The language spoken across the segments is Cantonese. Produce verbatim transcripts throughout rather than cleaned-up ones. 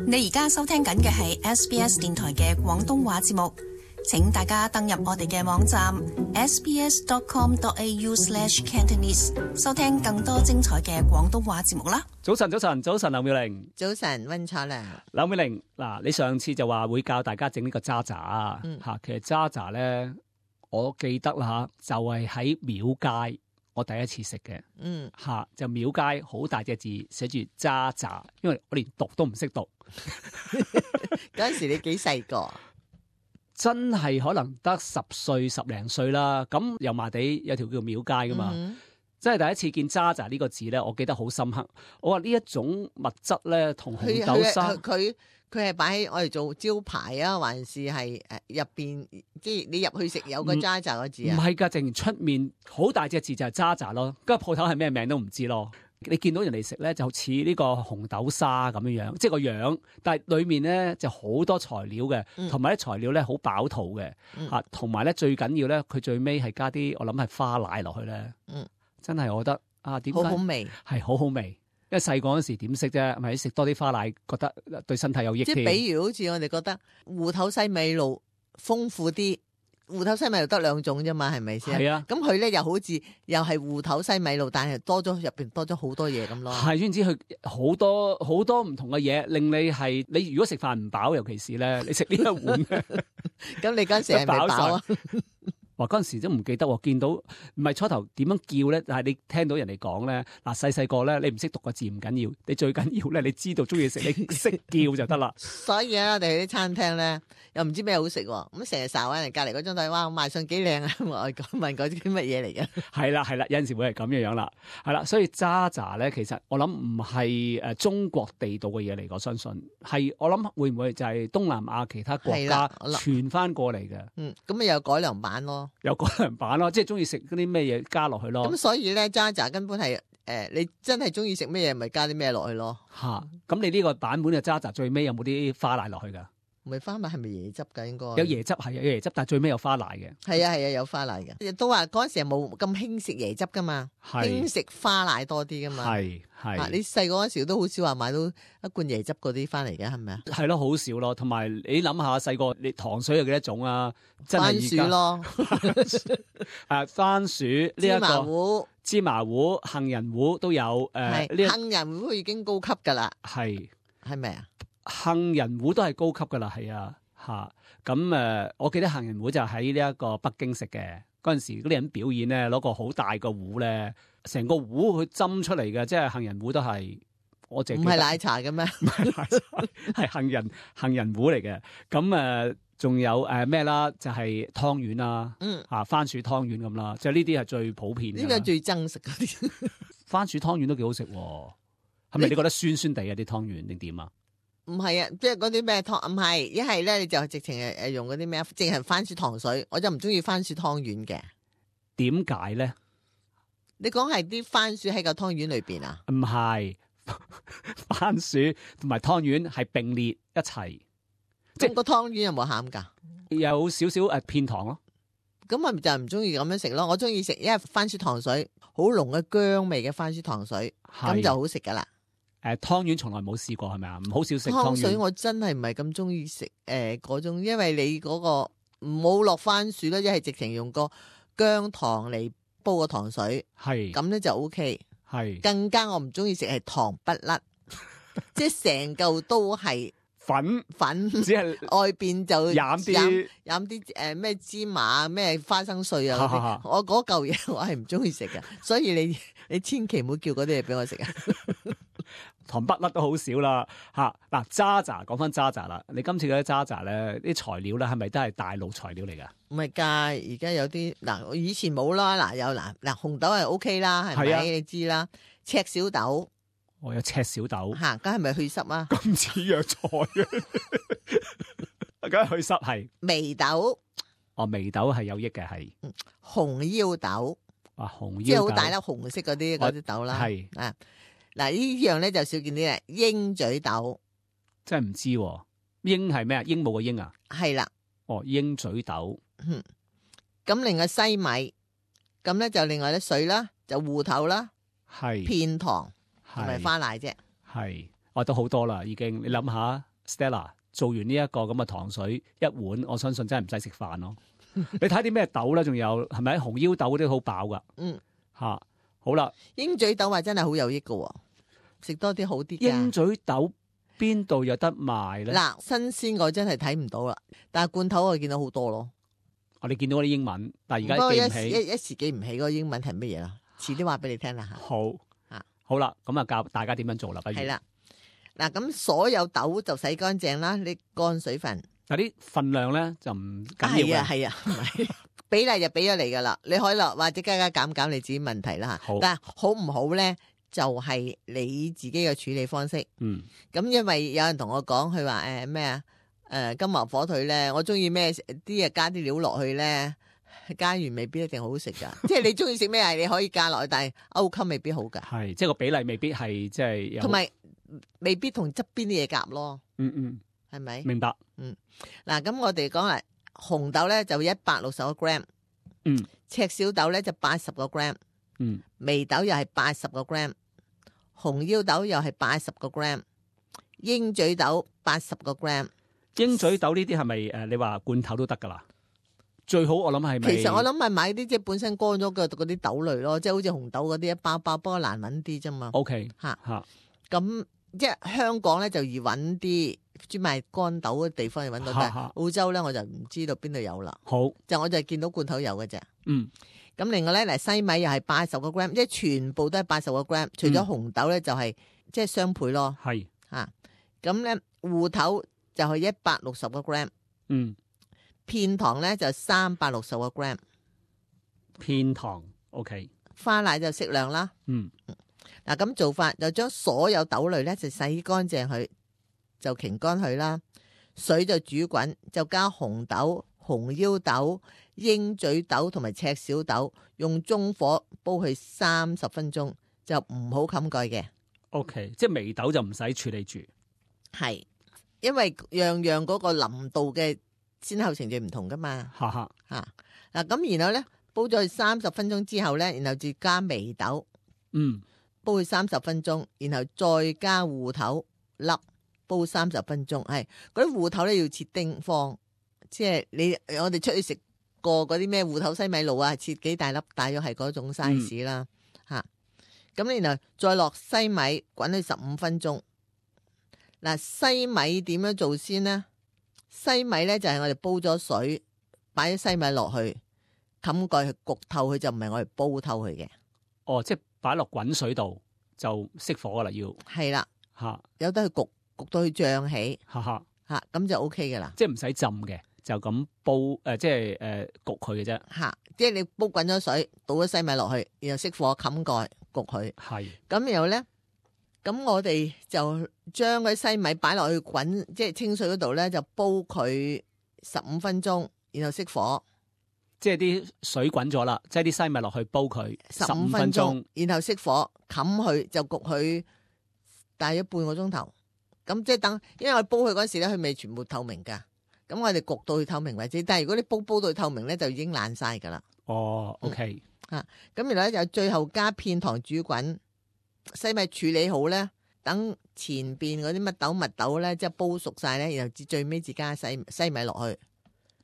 你而家收聽緊嘅係 S B S 電台嘅廣東話節目，請大家登入我哋嘅網站 s b s dot com dot a u slash cantonese 收聽更多精彩嘅廣東話節目啦。早晨，早晨，早晨，劉妙玲。早晨，溫楚良。劉妙玲，嗱，你上次就話會教大家整呢個渣渣啊，吓、嗯，其實渣渣咧，我記得啦吓，就係喺廟街。我第一次食嘅，嗯，吓就廟街好大隻字寫住渣渣，因為我連讀都唔識讀。嗰陣時你幾細個？真係可能得十歲十零歲啦。咁油麻地有條叫廟街噶嘛，嗯、真係第一次見渣渣呢個字咧，我記得好深刻。我話呢一種物質咧，同紅豆沙佢。佢係擺喺我哋做招牌啊，還是係誒入邊，即係你入去食有個渣渣個字啊？唔係㗎，淨出面好大隻字就係渣渣咯。嗰個鋪頭係咩名都唔知咯。你見到人哋食咧，就似呢個紅豆沙咁樣樣，即係個樣，但係裡面咧就好多材料嘅，同埋啲材料咧好飽肚嘅嚇，同埋咧最緊要咧，佢最尾係加啲我諗係花奶落去咧，嗯，真係我覺得啊，點解好好味，係好好味。因為細個嗰時點識啫，咪食多啲花奶，覺得對身體有益。即係比如好似我哋覺得芋頭西米露豐富啲，芋頭西米露得兩種啫嘛，係咪先？係啊。咁佢咧又好似又係芋頭西米露，但係多咗入邊多咗好多嘢咁咯。係，總之佢好多好多唔同嘅嘢，令你係你如果食飯唔飽，尤其是咧，你食呢一碗咧，咁你嗰時係咪飽啊？話嗰陣時都唔記得喎，見到唔係初頭點樣叫咧，但係你聽到人哋講咧，嗱細細個咧，你唔識讀個字唔緊要，你最緊要咧，你知道中意食，你識叫就得啦。所以啊，我哋去啲餐廳咧，又唔知咩好食，咁成日睄喺人隔離嗰張台，哇，賣相幾靚啊！我問嗰啲乜嘢嚟嘅？係啦係啦，有陣時會係咁樣樣啦，係啦，所以渣渣咧，其實我諗唔係誒中國地道嘅嘢嚟，我相信係我諗會唔會就係東南亞其他國家傳翻過嚟嘅？嗯，咁咪有改良版咯。有改良版咯，即係中意食嗰啲咩嘢加落去咯。咁所以咧，渣渣根本係誒、呃，你真係中意食咩嘢，咪加啲咩落去咯。吓、啊，咁你呢個版本嘅渣渣最尾有冇啲花奶落去噶？唔係花奶，係咪椰汁噶？應該有椰汁，係有椰汁，但係最尾有花奶嘅。係啊係啊，有花奶嘅。亦都話嗰陣時冇咁興食椰汁噶嘛，興食花奶多啲噶嘛。係係、啊，你細個嗰陣時都好少話買到一罐椰汁嗰啲翻嚟嘅，係咪啊？係咯，好少咯。同埋你諗下，細個你糖水有幾多種啊？真番薯咯，誒，番薯呢一個芝麻糊、芝麻糊、杏仁糊都有。誒、呃，杏仁糊已經高級噶啦。係係咪啊？杏仁糊都係高級噶啦，係啊，吓咁誒，我記得杏仁糊就喺呢一個北京食嘅嗰陣時，嗰啲人表演咧，攞個好大個壺咧，成個壺去斟出嚟嘅，即係杏仁糊都係我淨唔係奶茶嘅咩？唔係奶茶，係杏仁杏仁糊嚟嘅。咁誒，仲、呃、有誒咩啦？就係湯圓啦，嗯，啊番薯湯圓咁啦，即係呢啲係最普遍嘅。呢個最憎食嗰啲番薯湯圓都幾好食，係咪？你覺得酸酸地啊啲湯圓定點啊？唔係啊，即係嗰啲咩湯唔係，一係咧你就直情係誒用嗰啲咩，淨係番薯糖水，我就唔中意番薯湯圓嘅。點解咧？你講係啲番薯喺個湯圓裏邊啊？唔係，番薯同埋湯圓係並列一齊。即係個湯圓有冇餡噶？有少少誒片糖咯。咁咪就唔中意咁樣食咯。我中意食，因為番薯糖水好濃嘅薑味嘅番薯糖水，咁就好食噶啦。誒，湯圓從來冇試過係咪啊？唔好少食湯圓。湯水我真係唔係咁中意食誒嗰種，因為你嗰個唔好落番薯啦，一係直情用個薑糖嚟煲個糖水，係咁咧就 O K。係更加我唔中意食係糖不甩，即係成嚿都係粉粉，只係外邊就染啲染啲誒咩芝麻咩花生碎啊嗰啲，我嗰嚿嘢我係唔中意食嘅，所以你你千祈唔好叫嗰啲嘢俾我食啊！糖不甩都好少啦嚇。嗱，渣渣講翻渣渣啦，你今次嗰啲渣渣咧，啲材料咧係咪都係大陸材料嚟噶？唔係㗎，而家有啲嗱，以前冇啦，嗱有嗱嗱紅豆係 O K 啦，係咪、啊、你知啦？赤小豆，我、哦、有赤小豆嚇，咁係咪去濕啊？咁似藥材嘅，梗係去濕係。眉豆，哦眉豆係有益嘅係。紅腰豆，啊紅腰豆，即係好大粒紅色嗰啲嗰啲豆啦，係啊。嗱呢樣咧就少見啲啦，鷹嘴豆真係唔知喎，鷹係咩啊？鸚鵡嘅鷹啊？係啦，哦鷹嘴豆，嗯，咁另外西米，咁咧就另外啲水啦，就芋頭啦，係片糖同埋花奶啫，係，我都好多啦已經，你諗下 Stella 做完呢一個咁嘅糖水一碗，我相信真係唔使食飯咯。你睇啲咩豆咧？仲有係咪紅腰豆嗰啲好飽噶？嗯，吓、啊、好啦。鷹嘴豆話真係好有益噶，食多啲好啲。鷹嘴豆邊度有得賣咧？嗱，新鮮我真係睇唔到啦，但係罐頭我見到好多咯。我哋見到嗰啲英文，但係而家記唔起，一一時記唔起嗰個英文係乜嘢啦。遲啲話俾你聽啦吓。好啊，好啦，咁啊教大家點樣做啦。不如係啦。嗱，咁所有豆就洗乾淨啦，你乾水分。嗱，啲份量咧就唔緊要嘅。係啊，係啊，比例就俾咗你噶啦，你可以落或者加加減減你自己問題啦吓。好，但係好唔好咧，就係、是、你自己嘅處理方式。嗯。咁因為有人同我講，佢話誒咩啊，誒、呃、金華火腿咧，我中意咩啲啊加啲料落去咧，加完未必一定好食噶。即係你中意食咩係你可以加落去，但係歐襟未必好噶。係，即係個比例未必係即係。同埋。未必同側邊啲嘢夾咯，嗯嗯，係咪？明白，嗯，嗱，咁我哋講啊，紅豆咧就一百六十個 gram， 嗯，赤小豆咧就八十個 gram， 嗯，眉豆又係八十個 gram， 紅腰豆又係八十個 gram， 鷹嘴豆八十個 gram， 鷹嘴豆呢啲係咪誒？你話罐頭都得噶啦？最好我諗係咪？其實我諗係買啲即係本身乾咗嘅嗰啲豆類咯，即係好似紅豆嗰啲一包包，不過難搵啲啫嘛。O K， 吓吓，咁。即係香港咧就易揾啲專賣乾豆嘅地方，要揾到，但係澳洲咧我就唔知道邊度有啦。好，就我就見到罐頭有嘅啫。嗯，咁另外咧嚟西米又係八十個 gram， 即係全部都係八十個 gram， 除咗紅豆咧就係即係雙倍咯。係吓，咁咧芋頭就係一百六十個 gram。嗯，片糖咧就三百六十個 gram。片糖 OK， 花奶就適量啦。嗯。嗱，咁做法就將所有豆類咧就洗乾淨佢，就擎乾佢啦。水就煮滾，就加紅豆、紅腰豆、鷹嘴豆同埋赤小豆，用中火煲佢三十分鐘，就唔好冚蓋嘅。O K， 即係眉豆就唔使處理住，係因為樣樣嗰個淋度嘅先後程序唔同噶嘛。哈哈，吓嗱，咁然後咧煲咗佢三十分鐘之後咧，然後就加眉豆，嗯。煲佢三十分鐘，然後再加芋頭粒，煲三十分鐘。係嗰啲芋頭咧要切丁方，即係你我哋出去食過嗰啲咩芋頭西米露啊，切幾大粒，大約係嗰種 size 啦。吓、嗯，咁然後再落西米滾佢十五分鐘。嗱，西米點樣做先呢？西米咧就係我哋煲咗水，擺啲西米落去，冚蓋去焗透佢，就唔係我哋煲透佢嘅。哦，即係。擺落滾水度就熄火噶啦，要係啦吓，有得去焗焗到佢脹起，吓吓吓咁就 O K 噶啦，即係唔使浸嘅，就咁煲誒、呃，即係誒焗佢嘅啫吓，即係你煲滾咗水，倒咗西米落去，然後熄火冚蓋焗佢，係咁然後咧，咁我哋就將嗰西米擺落去滾，即係清水嗰度咧，就煲佢十五分鐘，然後熄火。即係啲水滾咗啦，即係啲西米落去煲佢十五分鐘，然後熄火冚佢就焗佢大約半個鐘頭。咁即係等，因為我煲佢嗰時咧，佢未全部透明噶。咁我哋焗到佢透明為止。但係如果你煲煲到佢透明咧，就已經爛晒噶啦。哦 ，OK 吓、嗯，咁然後咧就最後加片糖煮滾，西米處理好咧，等前邊嗰啲乜豆蜜豆咧，即係煲熟晒咧，然後至最尾至加西西米落去。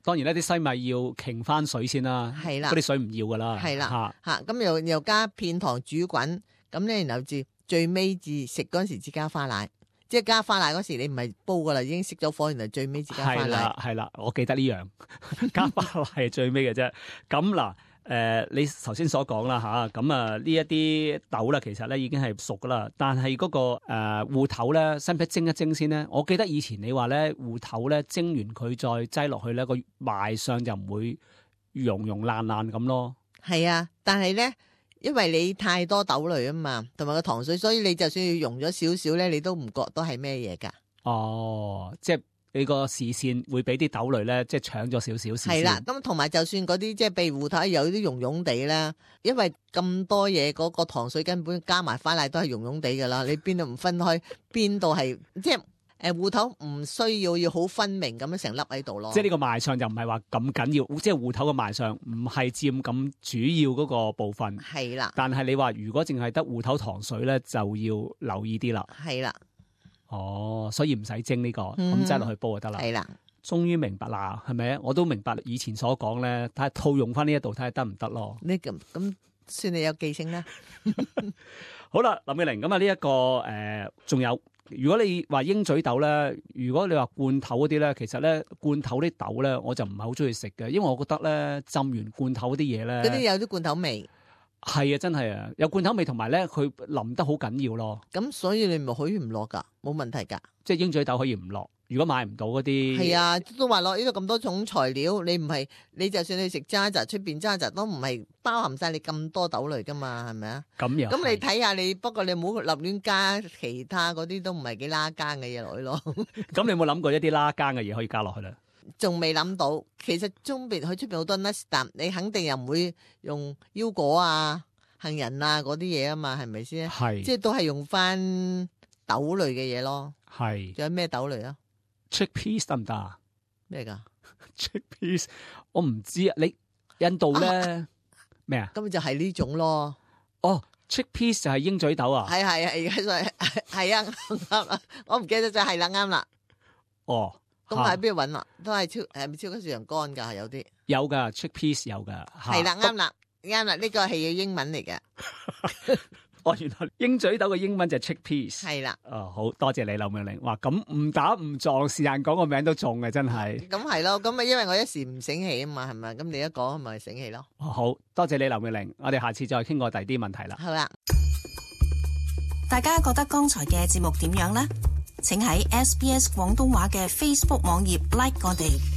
當然呢啲西米要傾翻水先啦，係啦，嗰啲水唔要噶啦，係啦，吓咁又又加片糖煮滾，咁咧然後至最尾至食嗰時至加花奶，即係加花奶嗰時你唔係煲噶啦，已經熄咗火，然後最尾至加花奶，係啦係啦，我記得呢樣加花奶係最尾嘅啫。咁嗱，誒、呃，你頭先所講啦吓，咁啊呢一啲豆咧，其實咧已經係熟噶啦，但係嗰、那個誒芋頭咧，使唔使蒸一蒸先咧？我記得以前你話咧芋頭咧蒸完佢再擠落去咧，個賣相就唔會溶溶爛爛咁咯。係啊，但係咧，因為你太多豆類啊嘛，同埋個糖水，所以你就算要溶咗少少咧，你都唔覺得係咩嘢噶。哦，即係。你個視線會俾啲豆類咧，即係搶咗少少視線。係啦，咁同埋就算嗰啲即係被芋頭有啲溶溶地啦，因為咁多嘢嗰、嗰個糖水根本加埋花奶都係溶溶地噶啦，你邊度唔分開，邊度係即係誒芋頭唔需要要好分明咁樣成粒喺度咯。即係呢個賣相就唔係話咁緊要，即係芋頭嘅賣相唔係佔咁主要嗰個部分。係啦，但係你話如果淨係得芋頭糖水咧，就要留意啲啦。係啦。哦，所以唔使蒸呢個，咁擠落去煲就得啦。係啦，終於明白啦，係咪？我都明白以前所講咧，睇下套用翻呢一度睇下得唔得咯。呢咁咁算你有記性啦。好啦，林美玲，咁啊呢一個誒，仲、呃、有，如果你話鷹嘴豆咧，如果你話罐頭嗰啲咧，其實咧罐頭啲豆咧，我就唔係好中意食嘅，因為我覺得咧浸完罐頭嗰啲嘢咧，嗰啲有啲罐頭味。係啊，真係啊，有罐頭味，同埋咧佢淋得好緊要咯。咁所以你咪可以唔落噶，冇問題噶。即係鷹嘴豆可以唔落，如果買唔到嗰啲。係啊，都話落呢度咁多種材料，你唔係你就算你食渣渣，出邊渣渣都唔係包含晒你咁多豆類噶嘛，係咪啊？咁樣。咁你睇下你，不過你唔好立亂加其他嗰啲都唔係幾拉更嘅嘢落去咯。咁你有冇諗過一啲拉更嘅嘢可以加落去咧？仲未諗到，其實中邊佢出邊好多 nuts，但你肯定又唔會用腰果啊、杏仁啊嗰啲嘢啊嘛，係咪先？係，即係都係用翻豆類嘅嘢咯。係，仲有咩豆類啊 ？Chickpeas 得唔得啊？咩噶 ？Chickpeas 我唔知啊。你印度咧咩啊？咁就係呢種咯。哦 ，Chickpeas 就係鷹嘴豆啊？係係係，而家係啊啱啦，我唔記得咗係啦，啱啦。哦，咁喺邊度搵啊？都係超係咪超級市場乾噶？係有啲有噶 Chickpeas 有噶。係啦，啱啦。啱啦，呢個係要英文嚟嘅。哦，原來鷹嘴豆嘅英文就係 chickpeas。係啦。哦，好多謝你，劉美玲。哇，咁誤打誤撞，是但講個名都中嘅，真係。咁係咯，咁啊，因為我一時唔醒起啊嘛，係咪？咁你一講咪醒起咯。哦，好多謝你，劉美玲。我哋下次再傾過第二啲問題啦。好啦。大家覺得剛才嘅節目點樣呢？請喺 S B S 廣東話嘅 Facebook 網頁 like 我哋。